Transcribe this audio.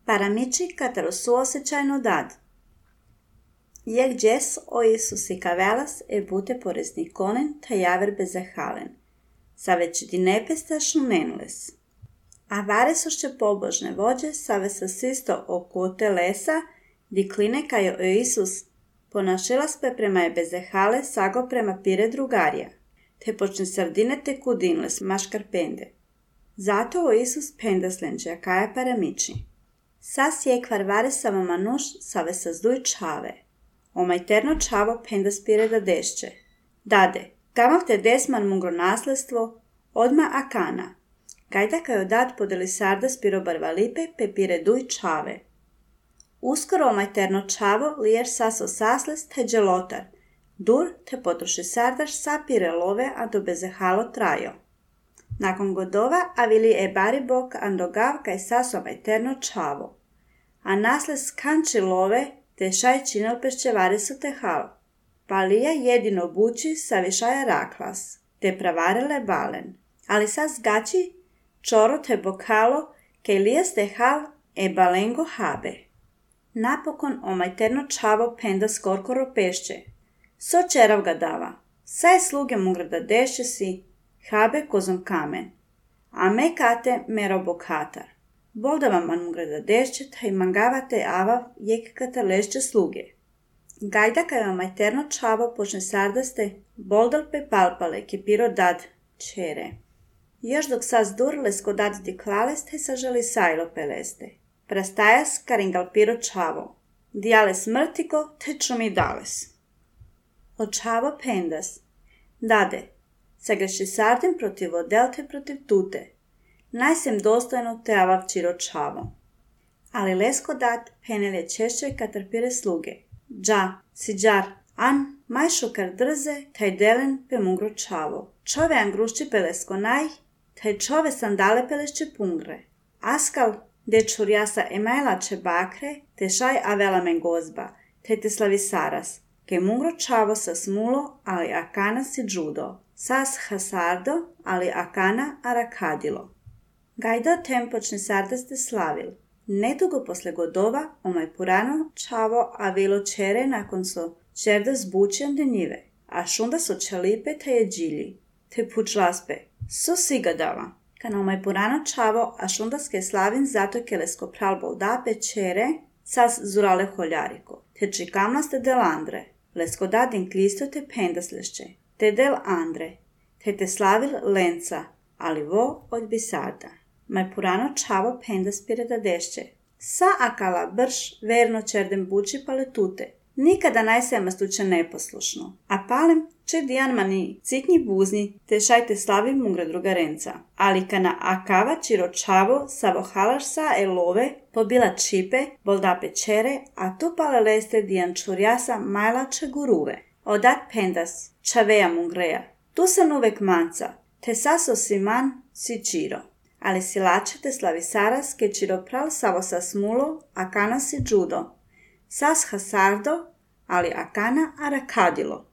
Paramici katero suosjećajno dad. Jeg gjes o Isus i kavelas e bute poresnikonen ta javer bezahalen. Save će ti nepestašnu nenles. A varesošće pobožne vođe save sa sisto okote lesa, di kline kajo o Isus ponašilas pe prema je bezahale sago prema pire drugarija. Te počne sardine te kudinles maškar pende. Zato o Isus pendaslenđe akaja paramici. Sas je kvarvare sava manuš save sa zduj čave. Omajterno čavo pendas pire da dešće. Dade, tamav te desman mungro nasledstvo, odma akana. Kajda kajo dad podeli sardas piro barvalipe pe pire duj čave. Uskoro omajterno čavo lijer saso sasles te dželotar. Dur te potroši sardaš sa pire love a do bezahalo trajo. Nakon godova avili e bari bok andogav kaj saso omajterno čavo. A nasles kanči love te šaj činel pešćevare su te hal. Pa lija jedino buči sa višaja raklas, te pravarele balen. Ali sas gači čoro te bokalo ke lijas te hal e balengo habe. Napokon omajterno čavo penda skorkoro pešće. So čerav ga dava. Saj sluge mungra da dešće si, habe kozom kamen. A me kate mero bokhatar. Bolda man mungra da dešće taj mangavate avav jek kata lešće sluge. Gajda kaj omajterno čavo počne sardaste, boldal pe palpale ke piro dad čere. Još dok sas dur lesko dad di klaleste saželi sajlo peleste. Prastajas karingal piro čavo. Dijale smrtiko te čumi dales. O čavo pendas. Dade, sagreši sardim protiv odelte protiv tute. Najsem dostojno te avav čiro čavo. Ali lesko dad penelje češće katar pire sluge. Dža, si džar, an, maj šokar drze, taj delen pe mungro čavo. Čove angrušči pelesko naj, taj čove sandale pelešće pungre. Askal, de čurjasa emajlače bakre, te šaj avela men gozba, te slavi saras, ke mungro čavo sa smulo, ali akana si džudo, sas hasardo, ali akana arakadilo. Gajda tem počne sardaste slavil. Nedugo posle godova, omaj purano čavo avilo čere nakon so čerda zbučen de njive, a šunda so čalipe te je džilji, te pučlaspe, so siga dava. Kana omaj purano čavo, a šundaske slavin zato ke lesko pral boldape čere, sas zurale holjariko, te čikamnaste del andre, lesko dadin klisto te pendaslešće, te del andre, te slavil lenca, ali vo od bisarda. Maj purano čavo pendas pire da dešće. Sa akala brš verno čerdem buči paletute. Nikada najsema stuče neposlušno. A palem če dijan mani ciknji buzni te šajte slavi mungra drugarenca. Ali kana akava čiro čavo sa vohalaš sa elove pobila čipe boldape čere, a tu pale leste dijan čurjasa majlače guruve. Odat pendas čaveja mungreja. Tu sam uvek manca, te saso si man si čiro. Ali silače te slavi saras ke čiro pral savo sa smulo, akana si džudo. Sas hasardo, ali akana arakadilo.